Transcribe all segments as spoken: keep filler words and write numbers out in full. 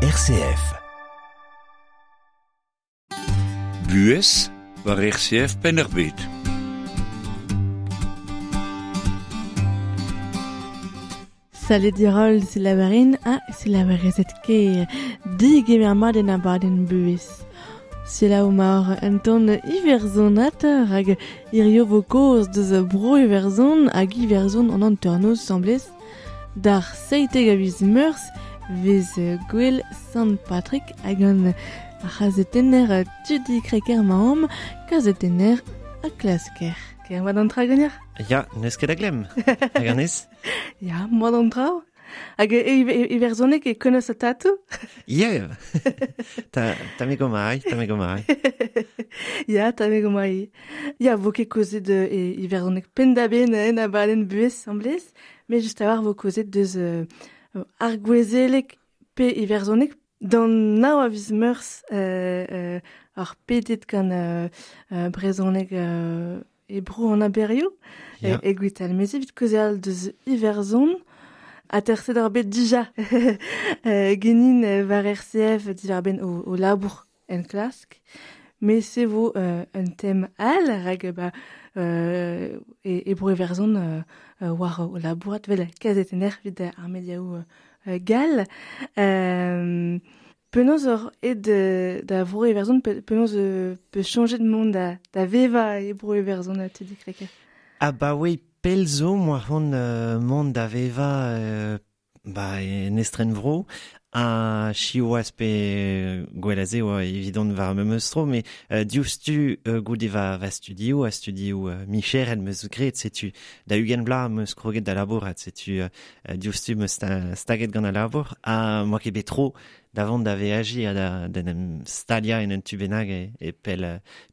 R C F. Buhez war R C F Penn-ar-Bed. Salut dirol selaverin ha selaverezet ker digemer mat en abadenn buhez. Selaou mar un ton iwerzhonat hag hirio vo kaoz deus bro Iwerzhon hag Iwerzhon an hanternoz semblez d'ar seitek a viz Meurzh vez gwell Sant Patrick hag an ar c'hazetenner Tudi Crequer maom, kazetenner ha klasker. Ker moa d'an tra ganeoc'h? Ya, n'eus ket a glemm. Hag an ez? Ya, moa d'an tra. Hag iwerzhoneg e konos a tatou? Ya, ta, ta me gomai, ta me gomai. Ya, ta me gomai. Ya, vo ket kozet e iwerzhoneg penn-da-benn en abadenn buhez semblez, mais just a war vo kozet deus euh, ar gouezelek pe iwerzhoneg d'an nav a viz Meurzh euh, euh, ar pedet gant euh, euh, brezhoneg euh, e bro an aberioù Ya. e, e gwital mezi evit kaozeal deus Iwerzhon a terset ar bet dija euh, genin war R C F diwar-benn o, o labour en klask mais se vo euh, un tem all rag ba euh, e, e bro Iwerzhon euh, euh, war o labourat vel kazetenner evit ar mediaoù euh, gal. Euh, penaos ur ed da vro Iwerzhon, pe, penaos euh, pe changer de monde da, da veva e bro Iwerzhon a Tudi Crequer? Ah bah oui, pel zo moa c'hoant euh, mont da veva euh, ba en estren vro a chiwaz pe gwell oa evidon war memes tro, mais euh, diouzhtu euh, goude va, va studio, a studio euh, micher el meus graet, setu da ugent bla meus kroget da labourat, setu euh, diouzhtu meus sta, staget gant a labour, ha moa ket bet tro da vont da veaji ha da, da en em stalia en un tu bennak e, e pel,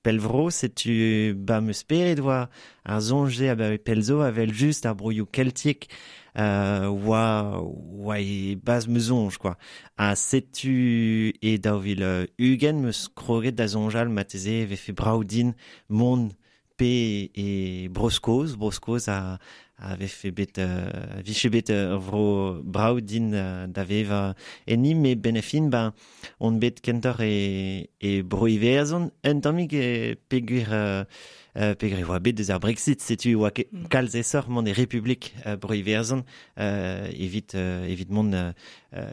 pel vro, setu ba meus peret oa ar zonje a ba pel zo a vel just ar broioù keltiek euh, oa, oa e baz meus zonj, quoi. Ha setu e daou vil ugent meus kroget da zonjal mateze vefe braoudin mont pe e Bro-Skos, Bro-Skos a, a vefe bet, euh, viche bet ur vro braoudin euh, da veva enni, me benefin, ba, on bet kentor e, e Bro-Iwerzhon, un tammig e peogwir euh, euh, peogwir oa bet deus ar Brexit, setu oa ket Mm. kalz esoc'h mont e Republik euh, Bro-Iwerzhon euh, evit, euh, evit mont euh,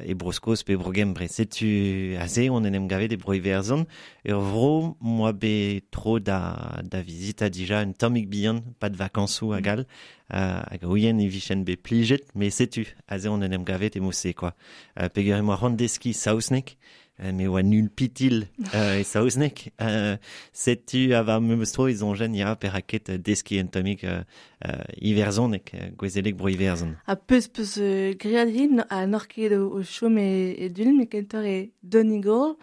e Bro-Skos pe Bro-Gembre. Setu aze on en em gavet e Bro-Iwerzhon, ur vro moa bet tro da, da vizita dija un tammig bihan, pas de vakansoù hag all, euh, hag ouien e vichen bet plijet, mais setu aze on en em gavet e mose, quoi. Euh, peogwir e moa c'hoant deskiñ saozneg, euh, me oa nul pitil euh, e saozneg. Euh, setu a war memes tro e zonjen ya perak ket deskiñ un tammig euh, euh, iwerzhoneg, euh, gouezelek bro Iwerzhon. Ha peus peus euh, griad hin a n'oc'h ket o, o chom e, e Dulenn, me kentoc'h e Donegal.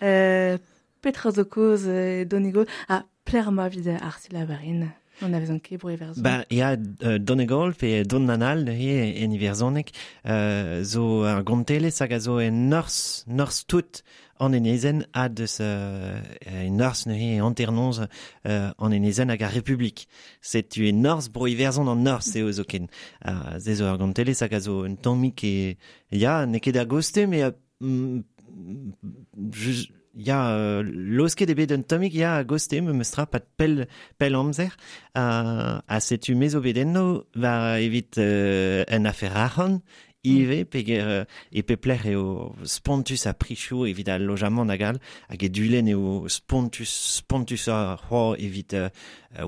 Euh, petra zo kaoz e Donegal ha pler ma vid ar selaverin. On a vezan ket bro Iwerzhon. Ba, ya, euh, Donegal pe Don Nanal neuze en Iwerzhoneg, euh, zo ar gontelez hag a zo en norzh, norzh tout an enezenn ha deus euh, en norzh neuze hanternoz euh, an enezenn hag ar Republik. Setu e norzh bro Iwerzhon an norzh eo zoken. Uh, ze zo ar gontelez hag a zo un tammig e... Ya, n'eo ket ar goste, mais... Euh, mm, just, ya, euh, losket eo bet un tammig ya a goste, me meus tra pat pell, pell amzer, uh, ha setu me zo bet enno, va evit euh, un afer arc'hant, ive, peger euh, e pep lec'h eo spontus a prichoù evit al lojamant hag all, hag e Dulenn eo spontus, spontus a c'hoar evit euh,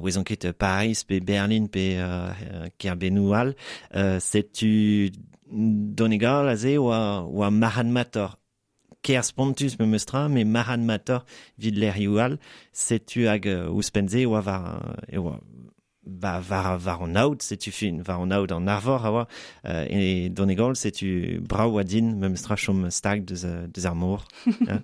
ouezon ket Paris pe Berlin pe euh, Kerbennoù all, euh, setu Donegal aze oa, oa marc'hadmator. Ker spontus me meus tra, me marc'hadmator vid lec'hioù all, setu hag euh, ouzhpenn-se oa war, e oa, ba, war, war an aod, setu fin, war an aod an arvor a oa, euh, e Donegal, setu brav oa din, me meus tra chom stag deus, deus ar mor. Ja.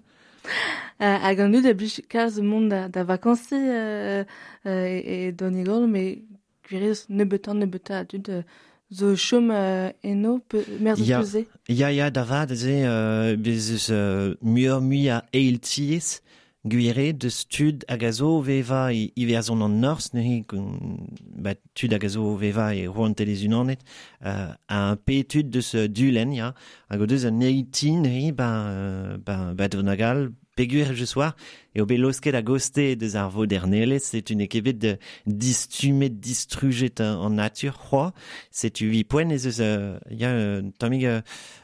Euh, hag an dud a blij kalz mont da, da vakansi euh, euh, e, e Donegal, me gwiriz nebeutañ nebeutañ a dud euh, zo chom euh, eno, pe, merz Ya. eus peus Ya, ya, da vat, ze, euh, bez eus euh, muioc'h mui a eil tiez, Gwire deus tud hag a zo veva e Iwerzhon an Norzh, neuze ba tud hag a zo veva e Rouantelezh-Unanet, euh, un pe tud deus Dulenn, ya, hag o deus un eiti neuze, ba, ba, ba Donegal, peogwir je soir, eo bet losket a goste deus ar vodernelezh, setu n'eo ket bet de distumet, distrujet an natur, c'hoa, setu vi poent ez eus, euh, ya, euh, tammig euh,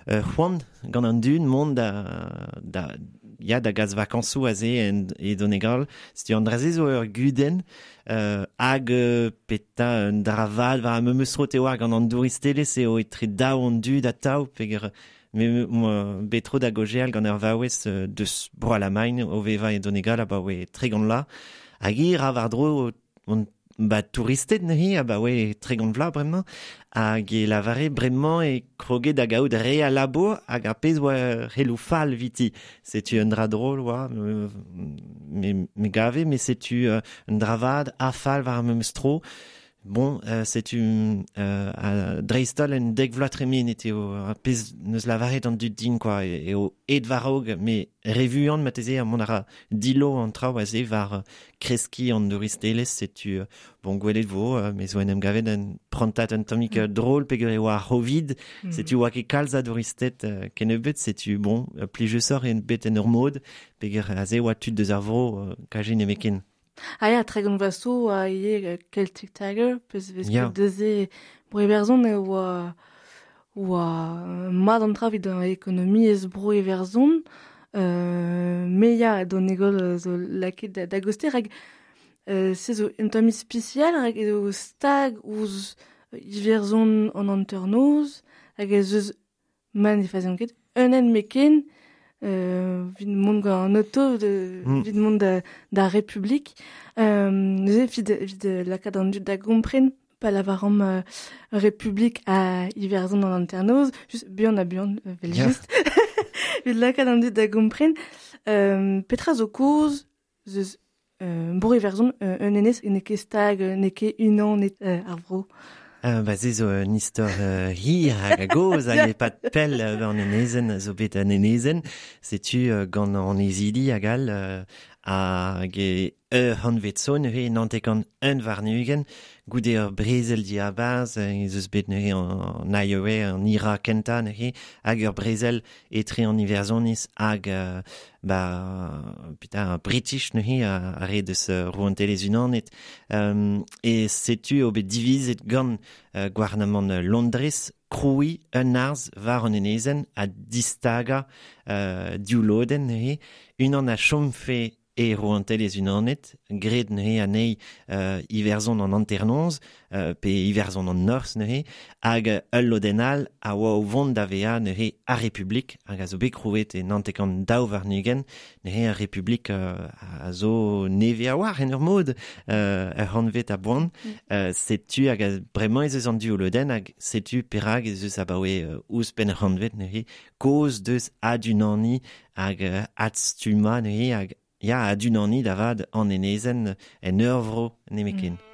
euh, c'hoant gant an dud mont da, da, ya da gas vakañsoù aze en, e Donegal, setu an dra-se zo ur gudenn, euh, hag euh, peta un dra vat war memes tro te oar gant an douristelezh eo etre daou an dud atav, peogwir me moi betro da gojeal gant ur vaouez deus bro Alamagn o veva e Donegal abaoe tregont vloaz hag hi ra war-dro on ba touristed neuze abaoe tregont vloaz bremañ hag e lavare bremañ e kroget da gaout re a labour hag ar pezh oa relou fall viti. Setu un dra drôle oa me, me gave, mais setu un dra vat a fall war ar memes tro. Bon, euh, setu euh, a dreistol en dek vloaz tremenet eo ar pezh neus lavaret an dud din quoi, eo aet war-raok, me revuan marteze mont a ra dillo an traoù aze war kreskiñ an douristelezh, setu bon gwelet vo, me zo en em gavet un prantat un tammig mm. drôle peogwir e oa ar Covid, mm. setu oa ket kalz a douristed euh, kennebeut, setu bon, plijusoc'h en bet en ur mod, peogwir aze oa tud deus ar vro euh, kaje nemeken. Ah ya, tregont vloaz zo oa ivez Celtic Tiger, peus vez ket deus bro Iwerzhon e oa oa mat an tra evit an ekonomiezh bro Iwerzhon, euh, me ya Donegal zo lakaet da, da goste, rak euh, se zo un tamm ispisial, rak eo stag ouzh Iwerzhon an hanternoz, hag ez eus ma ne fazian ket un hent meken, Euh, vit mont gant an auto de, mm. vit mont da, da Republik. Euh, neuze vit, vit lakaat an dud da gompren pa lavaramp euh, Republik a Iwerzhon an hanternoz, just buan ha buan, vel yeah. just. Vit lakaat an dud da gompren. Euh, petra zo kaoz zeus euh, bro Iwerzhon euh, un enez n'eo ket stag, n'eo ket unan euh, ar vro. Euh, ba se zo un istor euh, hir hag a goz hag e pat pell euh, an enezenn zo bet an enezenn, setu euh, gant an ezidi hag all euh, hag e ur c'hantvet zo neuze nantek-kant un warn-ugent goude ur brezel diabarzh ez eus bet neuze an I O A, an I R A kentañ neuze hag ur brezel etre an Iwerzhoniz hag euh, ba putain ar British neuze a, a re deus Rouantelezh-Unanet um, e setu eo bet divizet gant euh, gouarnamant Londrez krouiñ un arz war an enezenn ha distagañ euh, div lodenn neuze unan a chomfe e Rouantelezh-Unanet, graet neuze anezhi euh, Iwerzhon an hanternoz, euh, pe Iwerzhon an Norzh neuze, hag ul lodenn all a oa o vont da vezañ neuze ar Republik, hag a zo bet krouet e nantek-kant daou warn-ugent, neuze ar Republik euh, a zo nevez a-walc'h en ur mod, euh, ur c'hantvet a boan, mm. euh, setu hag a, bremañ ez eus an div lodenn, hag setu perak ez eus abaoe euh, ouzhpenn ur c'hantvet neuze, kaoz deus adunaniñ hag euh, adstummañ neuze, hag ya adunaniñ da vat an enezenn en ur vro nemetken. Mm.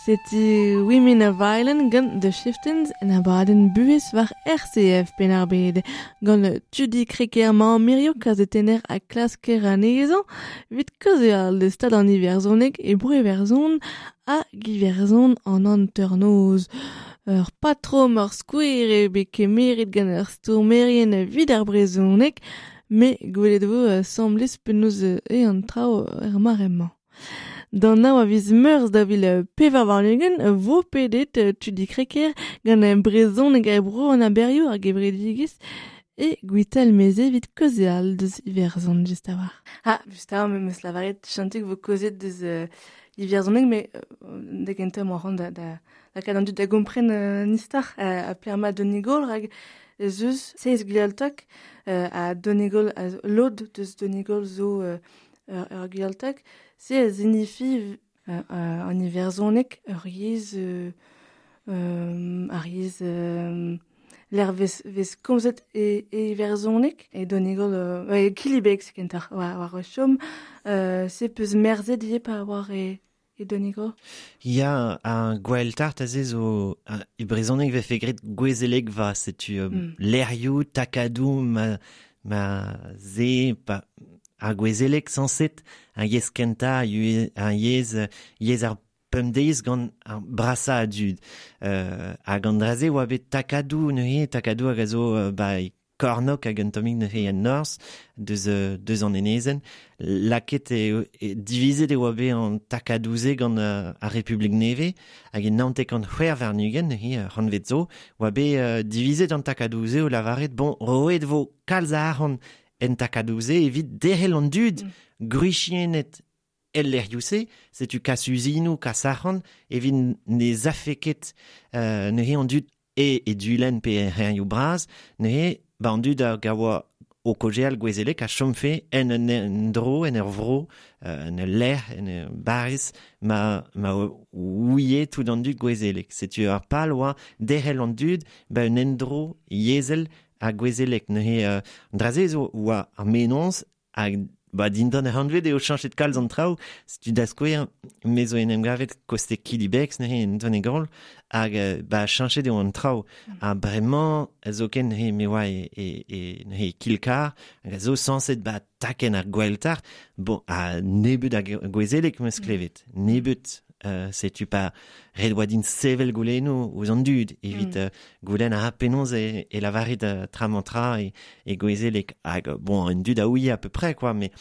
Setu Women of Ireland gant The Chieftains en abadenn buhez war R C F Penn-ar-Bed. Gant Tudi Crequer mañ mirio kazetenner ha klasker anezhañ evit kaozeal deus stad an Iwerzhoneg e Bro-Iwerzhon hag Iwerzhon an hanternoz. Ur patrom ur skouer eo bet kemeret gant ur stourmerien evit ar brezhoneg, met gwelet vo asambles penaos eo an traoù er mare-mañ. D'an nav a viz meurzh da vil pevar warn-ugent vo pedet Tudi Crequer gant brezhoneg e bro an aberioù ar gevredigezh e Gwitalmeze evit kaozeal deus Iwerzhon just a-walc'h. Ah, just a-walc'h, me 'meus lavaret chantig vo kaozet deus euh, Iwerzhoneg, met euh, da gentañ 'moa c'hoant da, da lakaat an dud da gompren euh, an istor euh, ha pelec'h emañ Donegal rak ez eus seizh Gaeltacht euh, ha Donegal a zo, lod deus Donegal zo euh, ur, ur Gaeltacht. Se a zinifi euh, euh, an Iwerzhoneg ur yezh euh, euh, ar yezh euh, l'er vez, vez komzet e, e Iwerzhoneg e Donegal euh, e Killybegs kentoc'h war, war o chom euh, se peus merzet ivez pa war e, e Donegal. Ya, ar Gaeltacht aze zo e brezhoneg vefe graet gouezeleg va, setu euh, Mm. lec'hioù, takadoù ma, ma ze pa ar gouezeleg sañset ar yezh kentañ, ar yezh, yezh ar pemdeiz gant ar brasañ a dud. Euh, hag an dra-se oa bet takadoù neuze, takadoù hag a zo euh, ba e Kornok hag un tammig neuze en norzh deus, euh, deus an enezenn. Laket e, e divizet e oa bet an takadoù-se gant euh, ar Republik Nevez hag e naontek an c'hwec'h warn-ugent neuze euh, c'hantved zo oa bet euh, divizet an takadoù-se o lavaret bon roet vo kalz a arc'hant en takadoù-se evit derc'hel an dud Mm. gwriziennet el lec'hioù-se, setu kas uzinoù, kas arc'hant, evit ne zafe ket euh, neuze an dud e, e Dulenn pe er c'hêrioù bras, neuze ba an dud a gaoa o kaozeal gouezeleg a chomfe en un endro, en ur vro, euh, en ul lec'h, en ur barrez, ma, ma ouie tout an dud gouezeleg. Setu ar pal oa derc'hel an dud ba un endro yezhel a gouezeleg. Neuze euh, an dra-se zo oa ar mennozh hag ba dindan ar c'hantved eo chañchet kalz an traoù, setu da skouer me zo en em gavet koste Killybegs neuze en Donegal hag euh, ba chañchet eo an traoù. Ha bremañ zoken neuze me oa e, e, e neuze Kilcar hag a zo sañset ba takenn ar Gaeltacht, bon a nebeut a gouezeleg 'm eus klevet, nebeut. Euh, setu pa ret oa din sevel goulennoù ouzh an dud evit Mm. euh, goulenn a ra penaos e, e lavaret euh, tra-mañ-tra e, e gouezeleg hag bon an dud a ouie à peu près quoi, mais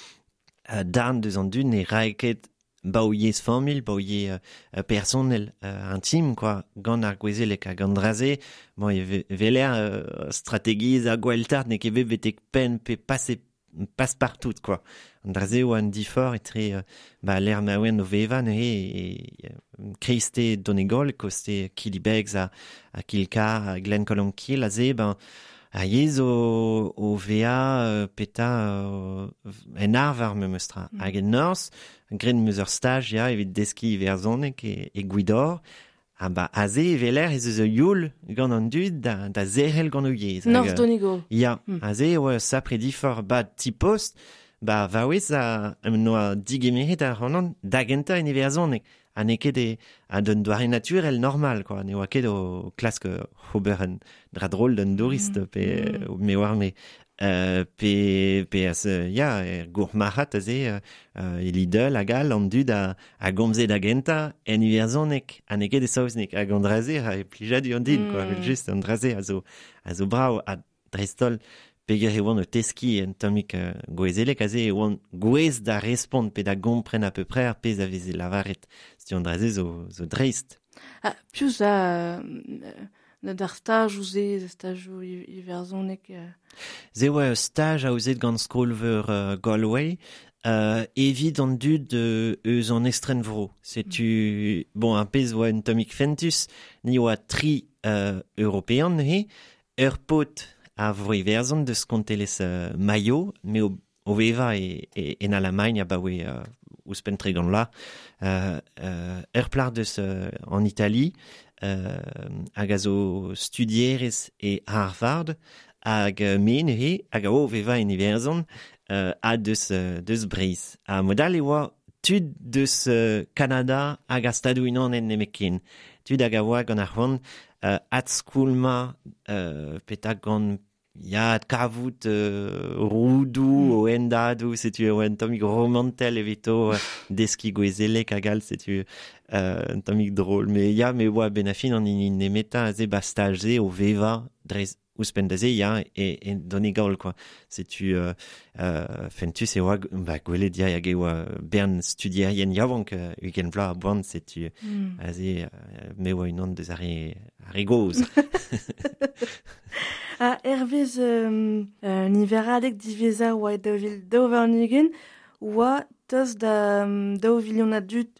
euh, darn deus an dud ne rae ket ba o yezh familh, ba o yezh euh, personnel euh, intime quoi, gant ar gouezeleg hag an dra-se, bon e ve, veler euh, strategiezh ar Gaeltacht n'eo ket bet betek penn pe pase passe partout quoi. An dra-se oa un diforc'h etre euh, ba lec'h ma oan o vevañ neuze e, e kreiste Donegal, koste Killybegs ha, ha Kilcar, ha Glencolmcille aze, ben a yezh o, o vezañ euh, peta euh, en arvar memes tra. Mm. Hag en norzh, graet 'm eus ur staj ya evit deskiñ iwerzhoneg e, e Gwidor. Ha ba aze e weler ez eus ur youl gant an dud da, da zerc'hel gant o yezh. Norzh Hag, euh, Donegal. Ya, Mm. aze e oa sapre diforc'h ba ti-post, ba vaouez a noa digemeret ar c'hanon da gentañ en iwerzhoneg. Ha n'eo ket e, ha d'un doare naturel normal, quoi. Ne oa ket o klask ober un dra drol d'un tourist, Mm. pe Mm. me oar me. Euh, pe, pe az, ya, er gourmarc'had aze, euh, e Lidl hag all, an dud a, a gomze da gentañ en iwerzhoneg, ha n'eo ket e saozneg, hag an dra-se a e plijadur an din, quoi. Mm. Evel just, an dra-se a zo, a zo brav, ha dreist-holl, peger e oan o teskiñ un tammig euh, gouezeleg aze e oan gouez da respont pe da gompren à peu près ar pezh a veze lavaret. Setu an dra-se zo, zo dreist. Ah, piv a euh, d'ar staj ouzh stajoù iwerzhoneg euh. Se oa ur staj aozet gant skol-veur euh, Galway, euh, evit an dud euh, eus an estrenvro. Setu, bon, ar pezh oa un tammig fentus, ni oa tri euh, european neuze, ur paotr a vro Iwerzhon deus kontelezh euh, Mayo, me o, o vevañ e, e, en Alamagn abaoe euh, ouzhpenn tregont vloaz, euh, euh, ur plac'h deus euh, en Italie, euh, hag a zo studierez e Harvard, hag euh, me neuze, hag a o vevañ en Iwerzhon, euh, ha deus, euh, deus Breizh. Ha modal e oa tud deus euh, Kanada hag ar Stadoù Unanet nemetken. Tud hag a oa gant ar c'hoant euh, adskoulmañ euh, petak gant ya kavout euh, roudoù mm. o hendadoù, setu eo un tammig romantel evito euh, deskiñ gouezelek hag all, setu euh, un tammig drôle. Mais ya, me oa ben a fin an hini nemetañ aze ba staj-se o vevañ dre ouzhpenn da se, ya, e, e Donegal, quoi. Setu euh, euh, fentus e oa, ba, gwelet ya hag e oa bern studierien yaouank euh, ugent vloaz a-boan, setu mm. aze euh, me oa unan deus ar re, ar re gozh. A hervez euh, euh, niveradeg diwezhañ oa e daou vil daou warn-ugent oa tost da um, daou vilion a dud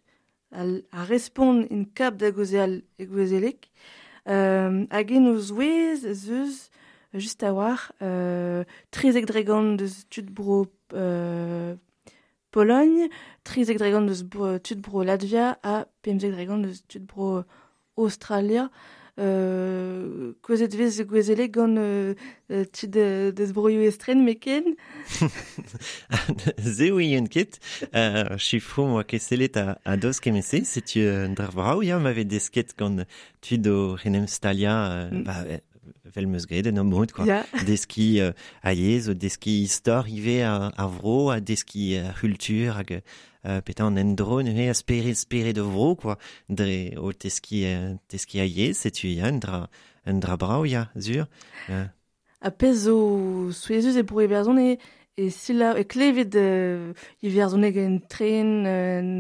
a, a respont in kap da gaozeal e gouezelek. Euh, hag en o zouez ez eus just a-walc'h euh, trizek dregont deus tud bro euh, Pologne, trizek dregont deus bro, tud bro Latvia ha pemzek dregont deus tud bro Australia. Euh, kaozet vez gouezelek gant euh, tud deus broioù estren meken. Se ouien ket, euh, chifroù moa ket sellet a, a doz kement-se, setu un dra brav ya ma vez desket gant tud o renem staliañ euh, mm. ba, vel meus graet en ur mod, quoi. Yeah. Deskiñ euh, a yezh, o deskiñ istor ivez ar, ar vro, ha deskiñ ar c'hultur hag euh, petra an endro neuze a spered spered o vro, quoi. Dre o teskiñ euh, teskiñ a yezh, setu ya un dra, un dra brav ya, sur. Euh. Ha pezh zo souezhus e bro Iwerzhon e, e selaou e klevet euh, iwerzhoneg en tren, en,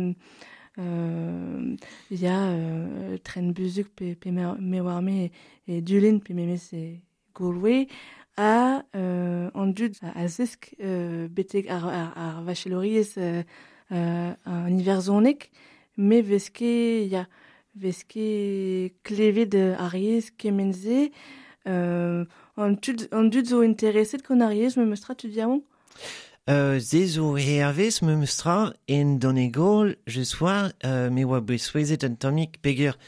euh, ya euh, tren buzhug pe, pe me war me e, e Dulenn pe memes e Galway ha euh, an dud a zesk euh, betek ar, ar, ar vachelouriezh euh, euh, an iwerzhoneg, me vez ket ya vez ket klevet ar yezh kement-se euh, an tud, an dud zo intereset gant ar yezh memes tra tud yaouank? Euh, se zo hervez memes tra en Donegal je soir euh, me oa bet souezhet un tammig peger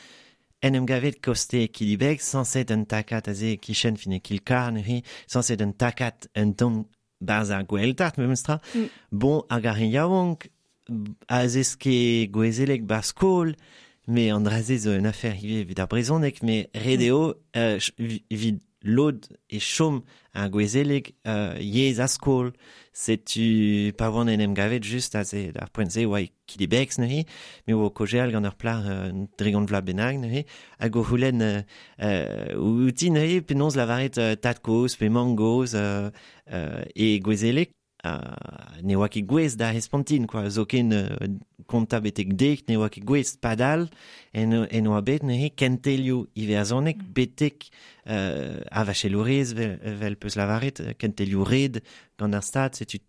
en em gavet koste Kilibeg sañset un takad aze kichen fin e Kilkar neuze sañset un takad un tamm barzh ar Goueltart memes tra. Mm. Bon hag ar re yaouank a zeske gouezelek bar skol, mais an dra-se zo un afer ivez evit ar brezhoneg, mais ret eo euh, evit lod e chom ar gouezelek euh, yezh a skol, setu pa oan en em gavet just aze d'ar poent-se oa e Kilibeg neuze, me oa o kaozeal gant ur plac'h euh, dregont vloaz bennak neuze, hag o c'houlenn euh, euh, outi neuze penaos lavaret euh, tad-kozh pe mamm-gozh euh, euh, e gouezelek, Uh, ne oa ket gouest da respontin, quoi. Zoken euh, kontañ betek dek, ne oa ket gouest padal, en, en oa bet neuze kentelioù iwerzhoneg Mm. betek euh, ar vachelouriezh vel, vel peus lavaret, kentelioù red gant ar stad, setu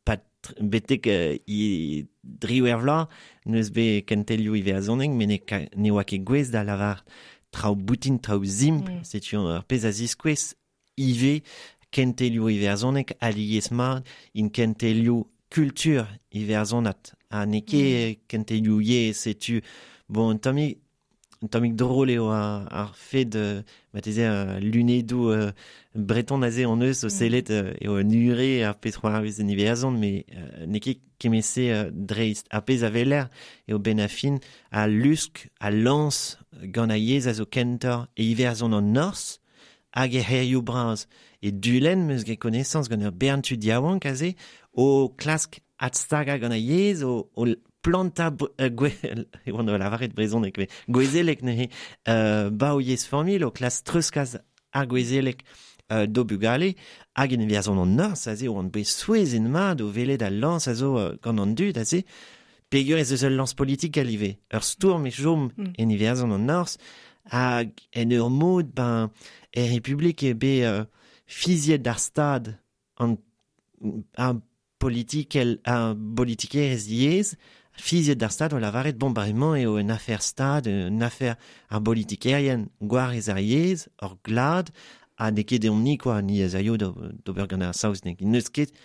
pat betek euh, i driwec'h vloaz n'eus bet kentelioù iwerzhoneg, met ne, ka, ne oa ket gouest da lavar traoù boutin, traoù simpl, Mm. setu ur pezh a ziskouez ivez kentelioù iwerzhoneg alies mat in kentelioù kultur iwerzhonat ha n'eo ket Mm. kentelioù yezh, setu bon un tammig un tammig drôle eo ar, ar fed euh, marteze euh, lunedoù euh, breton aze hon eus o Mm. sellet euh, eo un ure ar pezh c'hoarvez en Iwerzhon, mais euh, n'eo ket kement-se euh, dreist ar pezh a weler eo ben a fin a lusk a lañs gant a yezh a zo kentoc'h e Iwerzhon an Norzh hag e c'hêrioù bras. E Dulenn meus get konesañs gant ur bern tud yaouank aze o klask adstagañ gant a yezh, o, o plantañ euh, gwe, e oan o lavaret brezhoneg, met gouezelek neuze, euh, ba o yezh familh, o klask treuzkas ar gouezelek euh, d'o bugale, hag en Iwerzhon an Norzh aze oan bet souezhet mat o welet al lañs a zo euh, gant an dud aze, peogwir ez eus ul lañs politikel ivez, ur stourm e chom Mm. en Iwerzhon an Norzh, hag en ur mod, ben, er Republik eo bet euh, fiziet d'ar stad an, ar politikel, ar bolitikerezh yezh, fiziet d'ar stad o lavaret, bon, ba emañ eo un afer stad, un afer ar bolitikerien gwarez ar yezh, ur glad, ha n'eo ket deomp-ni, quoi, ni ez aio d'ober gant ar saozneg. N'eus ket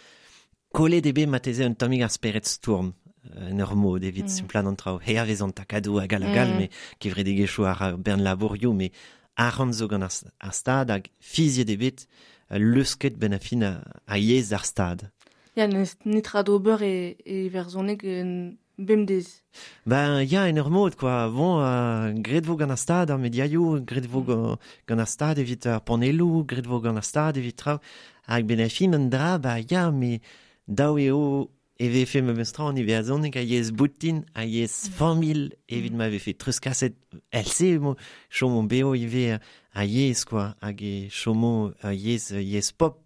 kollet eo bet marteze un tammig ar spered stourm, en ur mod evit Mm. simplaat an traoù. Hervez an takadoù hag all hag all, Mm. met kevredigezhioù ar ar bern labourioù, met arc'hant zo gant ar, ar stad hag fiziet eo bet euh, leusket ben a fin a, a yezh ar stad. Ya, n'eus netra d'ober e, e iwerzhoneg en bemdez. Ben ya, en ur mod, quoi. Bon, euh, gret vo gant ar stad ar mediaioù, gret vo mm. gant ar stad evit ar panelloù, gret vo gant ar stad evit traoù. Hag ben a fin an dra, ba ya, me daou eo e vefe me meus tra an iwerzhoneg a yezh boutin, a yezh familh, evit ma vefe treuzkaset else mo chomo beo ivez a yezh, quoi, hag e chomo a yezh, yezh pop.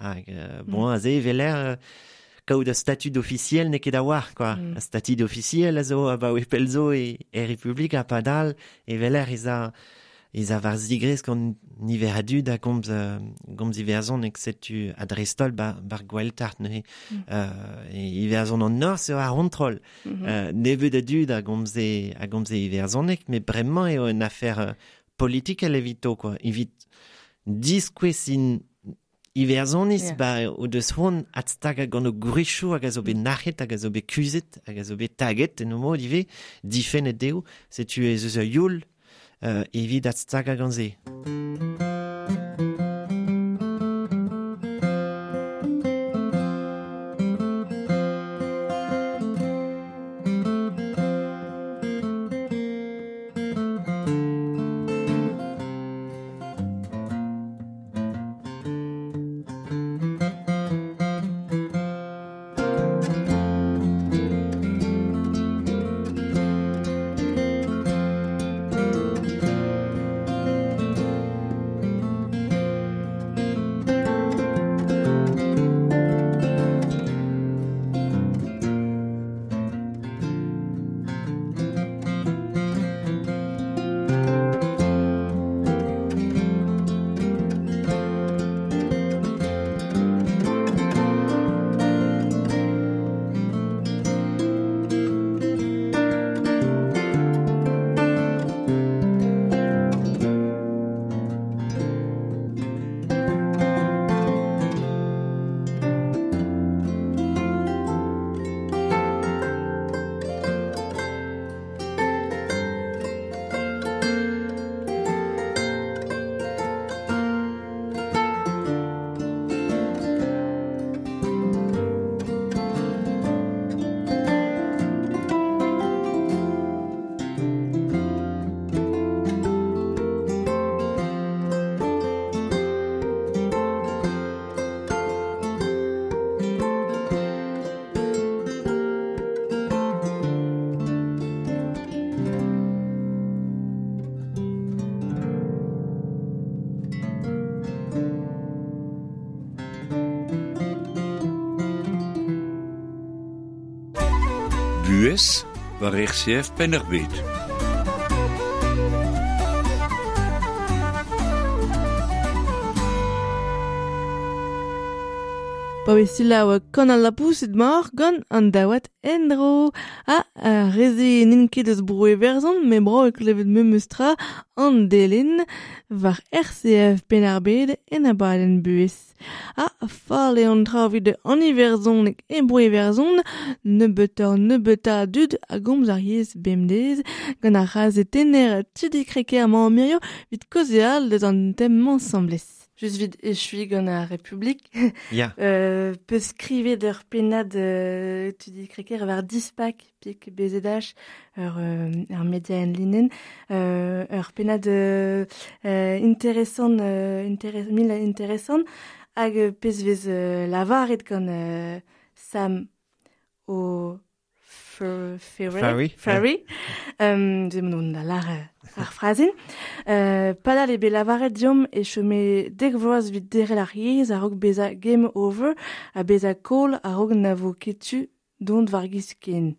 Hag, euh, bon, mm. aze veler euh, kaout a statut officiel n'eo ket a-walc'h, quoi. Mm. A statut officiel a zo abaoe pell zo e, e Republik ha padal e veler ez a ez a war zigrez gant niver a dud a gomz, uh, gomz iwerzhoneg setu a dreist-holl ba, bar Gweltart neuze. Mm. Uh, e Iwerzhon an Norzh eo ar c'hontrol. Mm -hmm. uh, nebeut a dud a gomze, a gomze iwerzhoneg, met bremañ eo un afer uh, politikel evito, quoi. Evit diskouez in Iwerzhoniz, yeah. ba o deus c'hoant adstagañ gant o gwrizioù hag a zo bet nac'het, hag a zo bet kuzhet, hag a zo bet taget en o mod ivez, difennet dezho, setu ez eus ur youl euh, evit adstagañ gant se. Buhez war R C F Penn-ar-Bed. Pa vez selaou kan al lapoused mor gant an daouad endro. Ha uh, reze n'int ket eus bro Iwerzhon, met bro e klevet memes tra an delen war R C F Penn-ar-Bed en abadenn buhez. Ha fall eo an tra evit an iwerzhoneg e bro Iwerzhon, nebeutoc'h nebeutañ a dud a gomz ar yezh bemdez gant ar c'hazetenner Tudi Crequer amañ mirio evit kaozeal deus an tem-mañ asambles. Just vid echui gant ar Republik. Ya. Euh, peus skrivet ur pennad euh, Tudi Crequer war Dispak, pik B Z H, ur, euh, ur media en linenn, euh, ur pennad euh, euh, interesant, euh, interes, mil interesant, hag pez vez euh, lavaret gant euh, Sam o Ferry. Ferry. Um, ze mon da lar ar frazen. Euh, padal eo bet lavaret diomp e chome dek vloaz evit derc'hel ar yezh a-raok bezañ game over ha bezañ koll a-raok na vo ket tu dont war giz ken.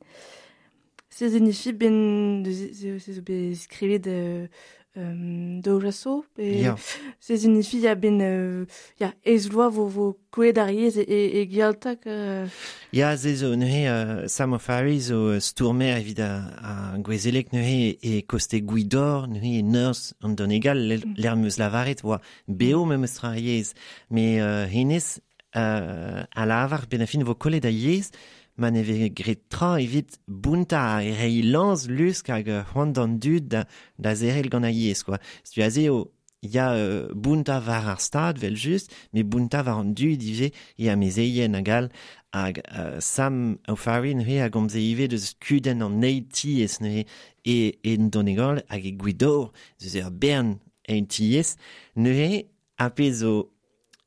Se zenifi ben se zo bet skrivet euh, euh, daou vloaz pe Ya. Se zenifi ya ben euh, ya ez vloaz vo vo kollet ar yezh e, e, e gialtak euh, Ya, ze zo neuze euh, Sam O'Farry zo stourmer evit a, a gouezelek neuze e koste Gwidor, neuze e Norzh an Donegal, mm. l'er meus lavaret oa beo memes tra ar yezh. Mais euh, hennezh euh, a lavar ben a fin vo kollet a yezh, ma ne vez gret tra evit bounta e reiñ lañs lusk hag c'hoant d'an dud da, da zerel gant ar yezh, quoi. Setu aze eo ya euh, bounta var ar stad, vel just, me bounta var an dud ivez e amezeien hag all, hag euh, Sam O'Farry neuze a gomze ivez deus kudenn an eil-tiez neuze e, en Donegal hag e Gwidor, deus ur bern eil-tiez, neuze a pezh zo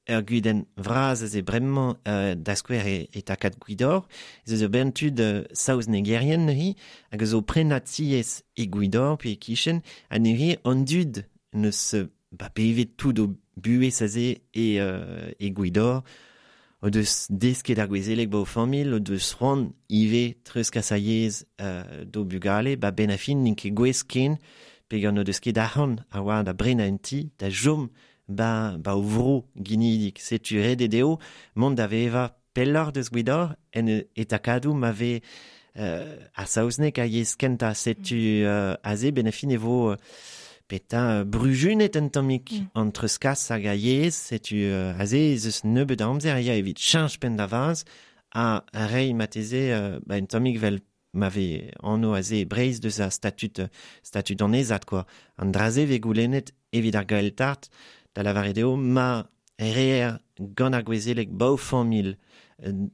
ur gudenn vras aze bremañ euh, da skouer e, e takad Gwidor, ez eus ur bern tud euh, saoznegerien neuze, hag zo prenañ tiez e Gwidor pe e kichen, ha neuze an dud neus ba bevet tout o buhez aze e, euh, e Gwidor, o deus desket ar gouezeleg ba o familh, o deus c'hoant ivez treuzkas a yezh euh, d'o bugale, ba ben a fin n'int ket gouez ken, peogwir o deus ket arc'hant a oa da brenañ un ti, da chom ba, ba o vro ginidik. Setu ret eo dezho mont da vevañ pelloc'h deus Gwidor en e takadoù ma vez euh, ar saozneg a yezh kentañ. Setu euh, aze ben a fin e vo euh, petra brujunet un tammig mm. an treuzkas hag a yezh, setu euh, aze ez eus nebeut a amzer ya evit cheñch penn da vaz ha reiñ marteze euh, ba un tammig vel ma vez anv aze e Breizh deus ar statut statut annezad quoi. An dra-se vez goulennet evit ar Gaeltacht da lavaret eo ma reer gant ar gouezeleg ba o familh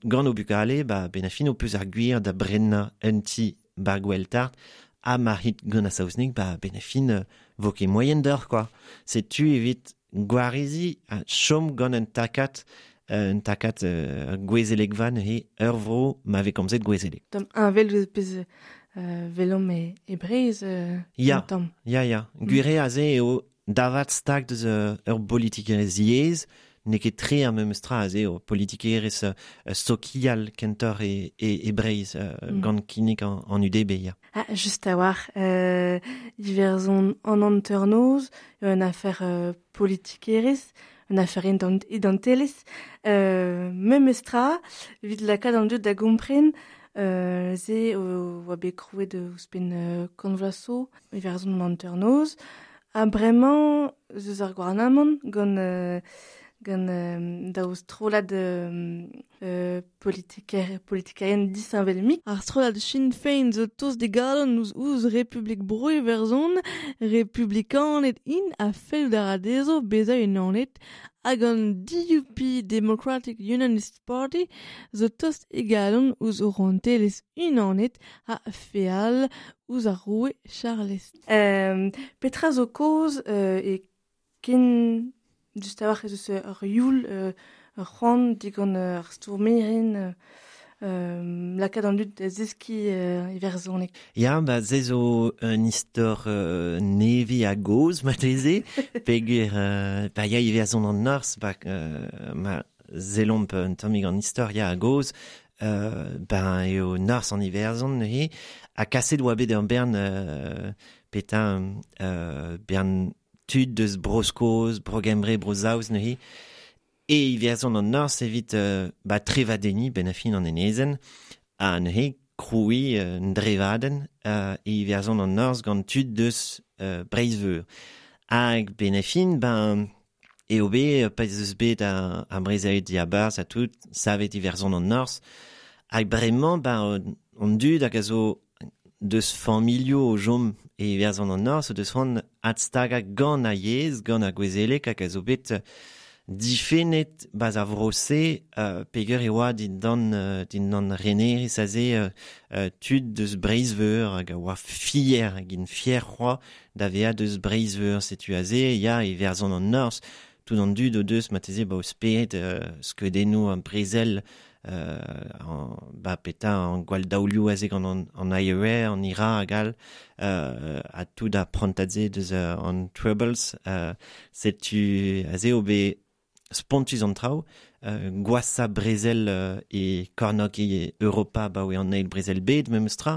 gant o bugale ba ben a fin ho peus ar gwir da brenañ un ti bar Gaeltacht ha ma rit gant ar saozneg ba ben a fin vo ket moaien deoc'h quoi. Setu evit gwareziñ ha chom gant un takad un takad euh, gouezelegva neuze ur vro ma vez komzet gouezeleg. Tamm heñvel eus pezh euh, velomp e, e Breizh euh, Ya, tamm. ya, ya. Gwir eo aze eo davat stag deus euh, ur politikerezh yezh, n'eo ket tre ar memes tra aze eo politikerezh euh, sokial kentoc'h e, e, e Breizh euh, Mm. gant kinnig an, an U D B, ya. Ah, just a-walc'h, euh, Iwerzhon an hanternoz, un afer euh, politikerezh, un afer ident- identelezh, euh, memes tra, evit lakaat an dud da gompren, euh, se o oa bet krouet ouzhpenn euh, kant vloaz zo, Iwerzhon an hanternoz, ha bremañ eus eus ar gouarnamant gant, euh, gant euh, daou strollad euh, euh, politiker, politikerien disheñvel-mik. Ar strollad Sinn Féin zo tost d'e galon ouzh ouzh Republik Bro Iwerzhon, republikaned int a fellout a ra dezho bezañ unanet, hag an D U P Democratic Unionist Party zo tost e galon ouzh o rouantelezh unanet ha feal ouzh ar roue Charlez. Euh, petra zo kaoz euh, e ken just a-walc'h ez eus ur youl, euh, ur c'hoant digant ar stourmerien, euh, lakaat an dud da zeskiñ euh, iwerzhoneg. Ya, ba se zo un istor euh, nevez a gozh marteze, peogwir euh, ba ya Iwerzhon an Norzh, ba euh, ma sellomp un tammig an istor ya a gozh, euh, ben eo Norzh an Iwerzhon neuze, ha kaset oa bet ur bern euh, petra euh, bern tud deus Bro-Skos, Bro-Gembre, Bro-Saoz neuze, e Iwerzhon an Norzh evit euh, ba trevadenniñ ben a fin an enezenn, ha neuze krouiñ euh, un drevadenn euh, e Iwerzhon an Norzh gant tud deus euh, Breizh-Veur. Hag ben a fin, ben, eo bet, pa ez eus bet a, a brezel diabarzh ha tout, savet Iwerzhon an Norzh, hag bremañ, ben, an dud hag a zo deus familhoù o chom e Iwerzhon an Norzh, o deus c'hoant adstagañ gant ar yezh, gant ar gouezeleg hag a zo bet difennet baz ar vro-se, euh, peogwir e oa dindan, euh, dindan renerezh aze euh, euh, tud deus Breizh-Veur hag a oa fier, hag int fier c'hoazh da vezañ deus Breizh-Veur. Setu aze, ya, Iwerzhon an Norzh, tout an dud o deus marteze ba o spered euh, skeudennoù an brezel, euh, an, ba petra an gwall daolioù aze gant an, an I R A, an I R A hag all, euh, ha tout ar prantad-se deus euh, an Troubles, euh, setu aze eo bet spontus an traoù, euh, gwashañ brezel euh, e kornôg e Europa ba oe an eil brezel bed memes tra,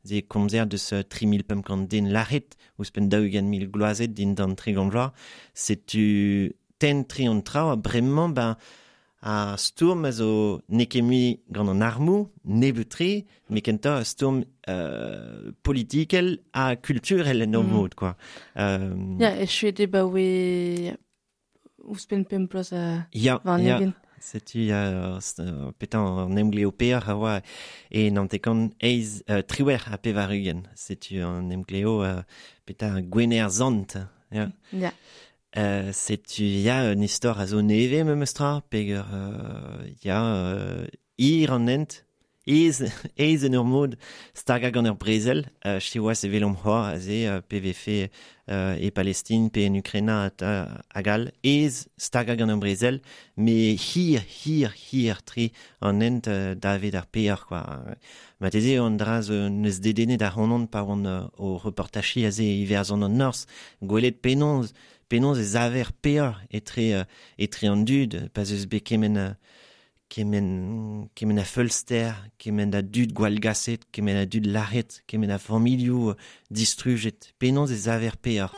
ze komzer deus euh, tri mil pemp kant den lâret, ouzhpenn daou-ugent mil gloazet dindan tregont vloaz, setu tenn tri an traoù, ha bremañ ben a stourm a zo n'eo ket mui gant an armoù, nebeut-tre, met kentoc'h a stourm euh, politikel ha kulturel en ur Mm. mod, quoi. Euh, Ya, echuet eo ba oe ouzhpenn pemp bloaz a ya, war ya. ugent. Setu ya, euh, petra an emgleo peoc'h a oa e naontek-kant eizh, euh, triwec'h ha pevar-ugent. Setu an emgleo euh, petra Gwener Zant. Ya. Ya. Euh, setu ya un istor a zo neve memes tra, peger euh, ya euh, ir an ent, ez, ez en ur mod staga gant ur brezel, euh, siwazh evel omp c'hoar aze euh, P V F euh, e Palestine, pe en Ukraina hag all, ez staga gant ur brezel, me hir, hir, hir tri an ent euh, davet ar peoc'h, quoi. Mateze an dra zo neus dedennet ar c'honon pa oan euh, o reportachi aze Iwerzhon an Norzh, gwelet penaos, penaos ez aver peoc'h etre, euh, etre an dud, pa zeus bet kement euh, kement, kement a feulster, kement a dud gwallgaset, kement a dud lâret, kement a familhoù distrujet, penaos ez aver peoc'h.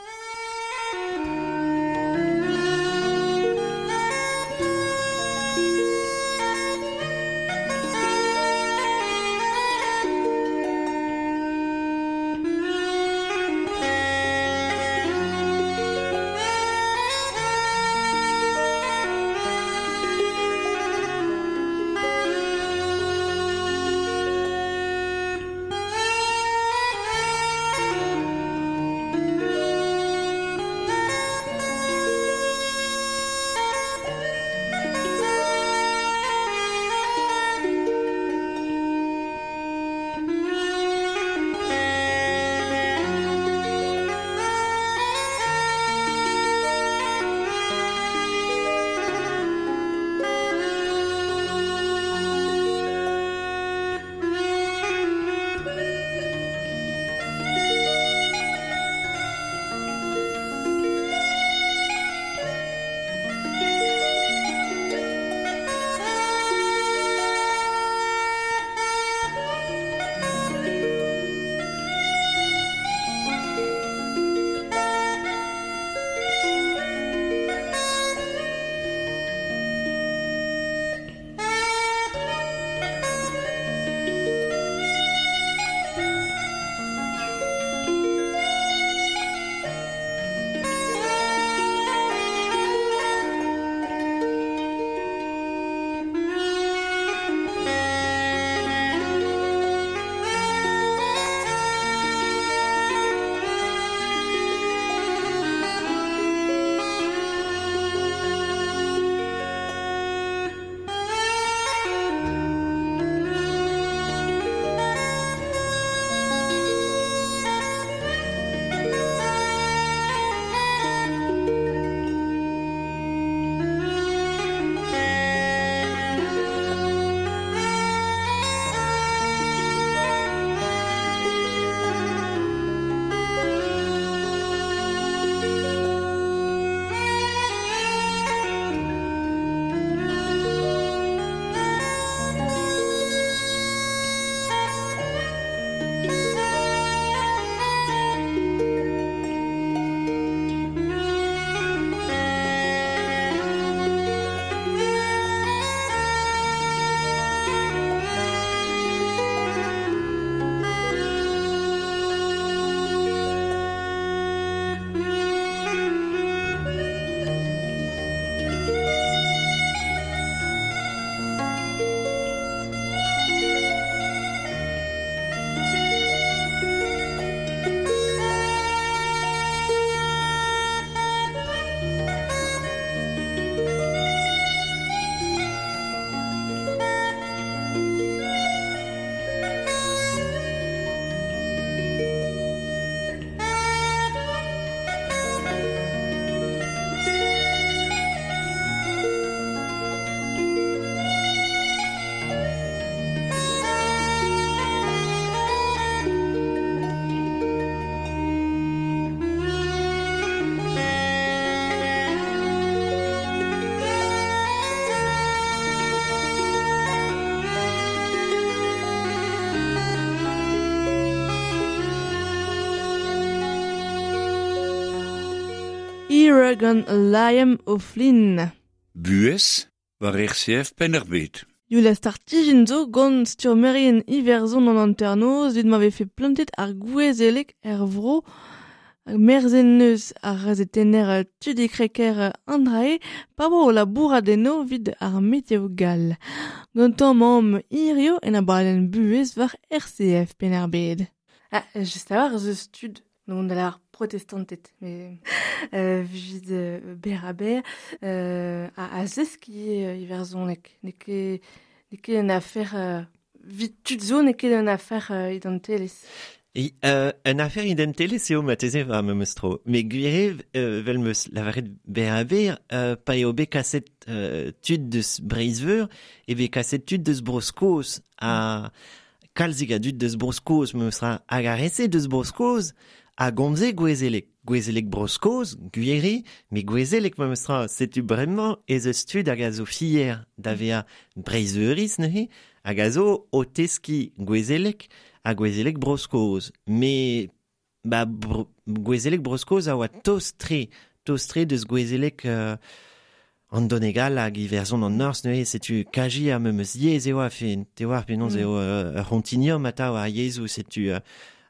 Gant Liam O'Flynn. Buhez war R C F Penn-ar-Bed. Youl a startijin zo gant sturmerien Iwerzhon an hanternoz evit ma vefe plantet ar gouezelek er vro merzen neus ar gazetenner Tudi Kreker Andrae pa vo o labourat eno evit ar meteo gall. Gantañ mamm hirio en abadenn buhez war R C F Penn-ar-Bed. Ah, just a war eus tud Non da ar protestantet, mais euh, vid euh, ber a ber, euh, a, a zeski euh, iwerzhoneg. N'eo ket, n'eo ket un affaire euh, vid tud zo, n'eo ket un affaire euh, identelezh. E, euh, un affaire identelezh eo mateze va memes tro. Me gwir euh, vel meus lavaret ber a ber, euh, pa eo bet kaset euh, tud deus Breizh-Veur, e bet kaset tud deus Bro-Skos a kalzig a dud deus Bro-Skos memes tra hag ar re-se deus Bro-Skos a gomze gouezelek. Gouezelek Bro-Skos, gwiri, me gouezelek memes tra setu bremañ ez eus tud hag a zo fier da vezañ Breizh-Veuriz neuze, hag a zo o teskiñ gouezelek ha gouezelek Bro-Skos. Me ba bro, gouezelek Bro-Skos a oa tost-tre, tost-tre deus gouezelek euh, an Donegal hag Iwerzhon an Norzh neuze, setu kaji ar memes yezh eo a fe, te oar penaos mm. eo euh, ur c'hontinuum atav ar yezhoù, setu euh,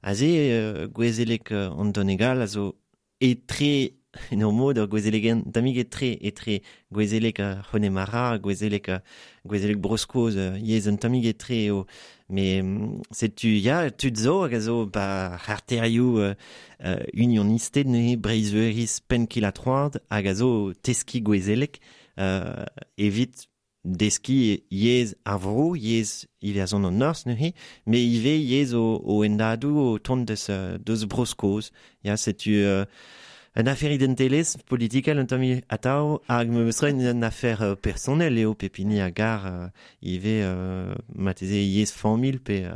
aze euh, gouezelek euh, an Donegal a zo etre en ur mod ur gouezelegen tammig etre etre gouezelek uh, C'honnemara, gouezelek uh, gouezelek Bro-Skos uh, yezh un tammig etre eo. Me setu ya tud zo hag a zo ba c'harterioù uh, uh, unionisted neuze Breizh-Veuriz penn-kil-ha-troad hag a zo teskiñ gouezelek uh, evit deskiñ yezh ar vro, yezh Iwerzhon an Norzh neuze, me ivez yezh o, o endadoù o tont deus, deus Bro-Skos. Ya, setu euh, un affaire identelezh politikel un tamm atav hag memes tra un affaire euh, personnel eo pep hini a gar euh, ivez euh, mateze yezh familh pe euh,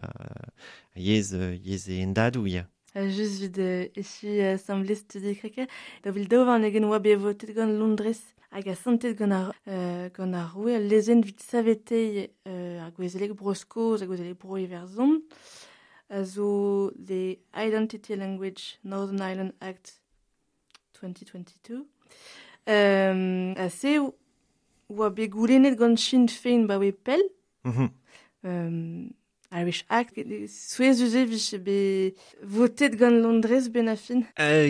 yezh, euh, yezh e endadoù ya. Just vid euh, echu asambles studi kreke, da vil daou warn-ugent oa bet votet gant Londrez hag asantet gant ar, euh, gant ar roue al lezenn evit saveteiñ euh, ar gouezelek Bro-Skos hag gouezelek Bro-Iwerzhon a zo the Identity Language Northern Ireland Act twenty twenty-two. Um, a se oa bet goulennet gant Sinn Féin ba oe pell. Mm-hmm. Um, Irish Act, souezhus e vije bet votet gant Londrez ben a fin. Euh,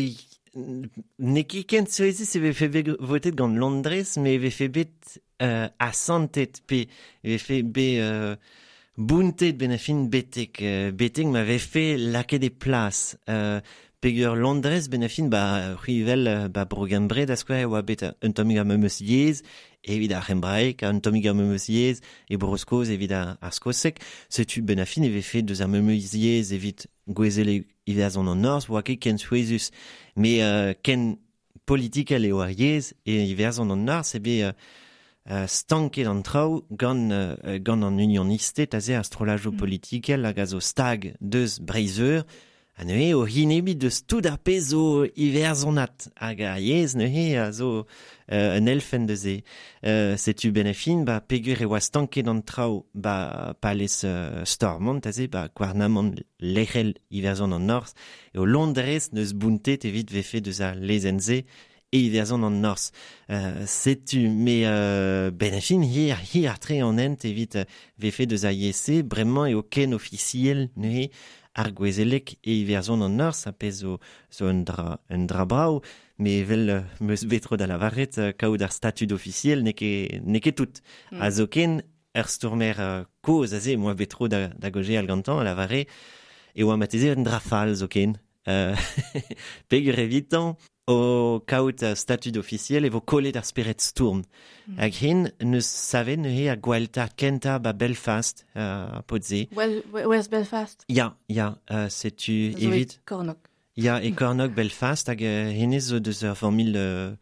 n'eo ket ken souezhus e vefe bet votet gant Londrez, me e vefe bet euh, asantet pe e vefe bet euh, bountet ben a fin betek, euh, betek ma vefe lakaet e plas. Euh, Peger Londrez ben a fin ba c'hwi ba Bro-Gembre da skouer e oa bet un tammig ar memes yezh evit ar c'hembraeg, un tammig ar memes yezh e Bro-Skos evit ar, ar skoseg. Setu ben a fin e vefe deus ar memes yezh evit gouezelek Iwerzhon an Norzh, oa ket ken souezhus. Me euh, ken politikel eo ar yezh e Iwerzhon an Norzh e bet euh, Uh, stanket an traoù gant, uh, gant an unionisted aze ar strollajoù mm. politikel hag a zo stag deus Breizh-Veur ha neuze o hinebi deus tout ar pezh zo iwerzhonat hag ar yezh neuze a zo uh, un elfenn deus e. Uh, setu ben a fin ba peogwir e oa stanket an traoù ba palez uh, Stormont aze ba gouarnamant lec'hel Iwerzhon an Norzh eo Londrez neus bountet evit vefe deus ar lezenn-se e Iwerzhon an Norzh. Euh, setu me euh, ben a fin hir, hir tre an hent evit euh, vefe deus ar yezh-se, bremañ eo ken ofisiel neuze ar gouezelek e Iwerzhon an Norzh a pezh zo, zo un dra, un dra brav, me evel euh, meus bet tro da lavaret euh, kaout ar statud ofisiel n'eo ket, n'eo ket tout. Mm. A zo ken ur stourmer euh, kozh aze, moa bet tro da, da gojeal gantañ a lavare e oa mateze un dra fall zo ken. Euh, peogwir evitañ o kaout uh, statud ofisiel e vo kollet ar spered stourm. Mm. Hag hen neus savet neuze a gwelltar kentañ ba Belfast, uh, pod-se. Well, West Belfast. Ya, ya, uh, setu Zo e evit... Kornog. Ya, e Kornog Belfast, hag uh, hennezh zo deus ur familh uh,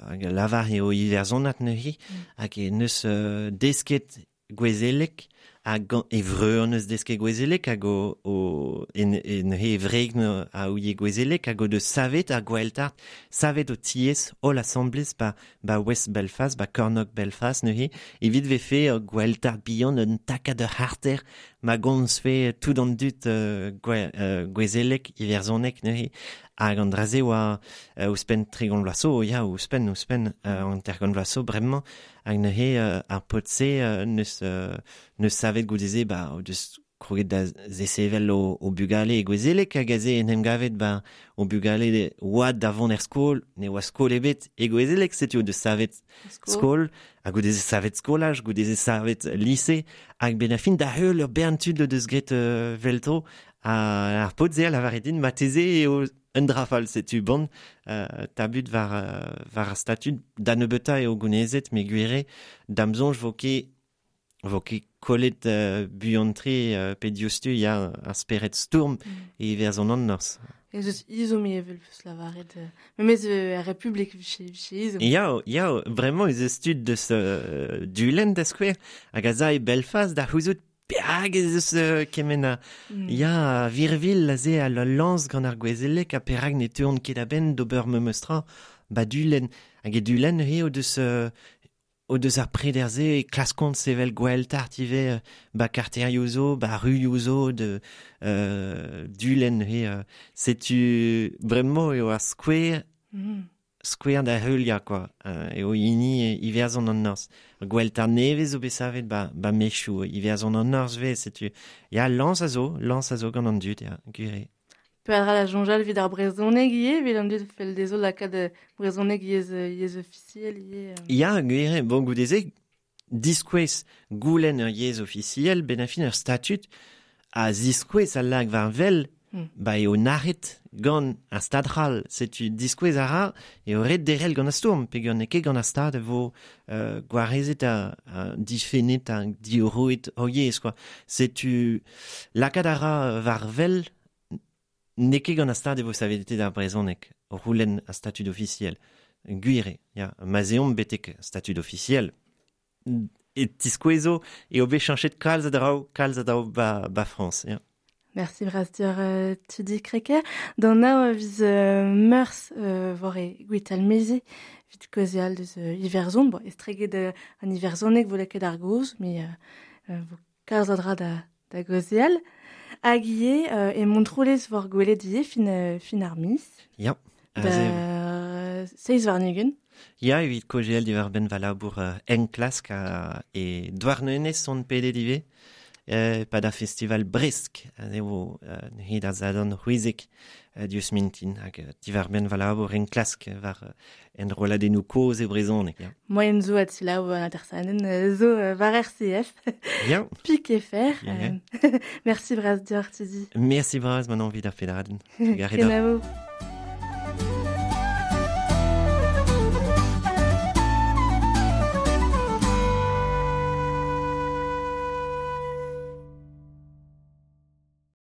hag lavar eo iwerzhonat neuze, Mm. hag e neus uh, desket gouezelek, hag gant e vreur neus desket gouezelek, hag o, o en, en he wreg a ouie gouezelek, hag o deus savet ar gwelltart, savet o tiez holl asambles ba, ba West Belfast, ba Kornog Belfast neuze, evit vefe ur gwelltart bihan un takad ur c'harter ma gomzfe tout an dud euh, gwe, euh, gouezelek, iwerzhonek neuze, hag an dra-se oa euh, ouzhpenn tregont vloaz zo, ya, ouzhpenn, ouzhpenn, euh, an tergont vloaz zo bremañ, hag neuze euh, ar paotr-se euh, neus, euh, neus savet goude-se, ba, o deus kroget da zesevel o, o bugale e gwezelek hag aze en em gavet ba o bugale oad da vont er skol, ne oa skol ebet e gwezelek, setu o deus savet skol, hag o deus savet skolaj, o deus savet lise, hag ben a fin da heul ur bern tud o deus gret euh, velto, a ar paotr se a lavaret din mateze eo un drafal, setu bon, euh, tabut war, euh, war ar statud da nebeuta eo gounezet, me gwire, da'm soñj vo ket vo ket kollet euh, buan-tre euh, pe diouzhtu ya ar spered stourm mm. e Iwerzhon an Norzh. Ez eus izom evel peus lavaret. Memez euh, ar Republik viche, viche izom. Ya, ya, vraiment ez eus tud deus euh, Dulenn da skouer, hag a za e Belfast da c'houzout perak ez eus euh, kement a... Mm. Ya, virvil aze a la lañs gant ar gwezelek ha perak ne teuont ket a-benn d'ober memes tra ba Dulenn. Hag e Dulenn eo deus... Euh, o deus ar preder-se e klaskont sevel gwell-tart ivez ba karterioù zo, ba ruioù zo de euh, Dulenn he euh, setu bremañ eo ar skouer mm. skouer da heuliañ quoi euh, eo hini Iwerzhon an Norzh. Gwell-tart nevez zo bet savet ba, ba mechoù Iwerzhon an Norzh vez setu ya lañs a zo, lañs a zo gant an dud ya, gwir eo. Peadra da soñjal evit ar brezhoneg ivez, evit an dud fell dezho lakaat brezhoneg yezh, yezh ofisiel ivez. Ya, gwir eo, bon goude-se, diskouez goulenn ur yezh ofisiel, ben a fin ur statud a ziskouez al lag war vel, mm. ba eo nac'het gant ar stad c'hall. Setu diskouez a ra eo ret derc'hel gant ar stourm, peogwir n'eo ket gant ar stad e vo euh, gwarezet ha, ha difennet ha diorroet hor yezh, quoi. Setu lakaat a ra war vel n'eo ket gant ar stad e vo savetet ar brezhoneg, o c'houlenn ar statud ofisiel. Gwir eo, ya, ma'z eomp betek statud ofisiel, e tiskouezo eo bet cheñchet kalz a draoù, kalz a draoù ba, ba Frañs, ya. Merci bras deoc'h euh, Tudi Crequer. D'an nav viz euh, meurzh euh, war e Gwitalmeze, evit kaozeal deus euh, Iwerzhon, bon, estreget euh, an Iwerzhoneg vo lakaet ar gaoz, met euh, vo kalz a dra da, da gaozeal. Hag ivez euh, e Montroulez war gwelet ivez fin, euh, fin ar miz. Ya. Da seizh warn-ugent. Ya, evit kaozeal diwar-benn va labour euh, enklask ha e Douarnenez on pedet ivez. Euh, pa da festival Bresk, eo euh, neuze da zadorn c'hwezek euh, diouzh mintin, hag euh, diwar-benn va labour enklask war euh, enrolladennoù kozh e brezhoneg. Ya. Moaien zo a selaou an atersadenn zo euh, war R C F. Ya. Pik e fer. Ya, ya. Euh, merci bras deoc'h, Tudi. Merci bras, Manon, evit ar federadenn. Kenavo.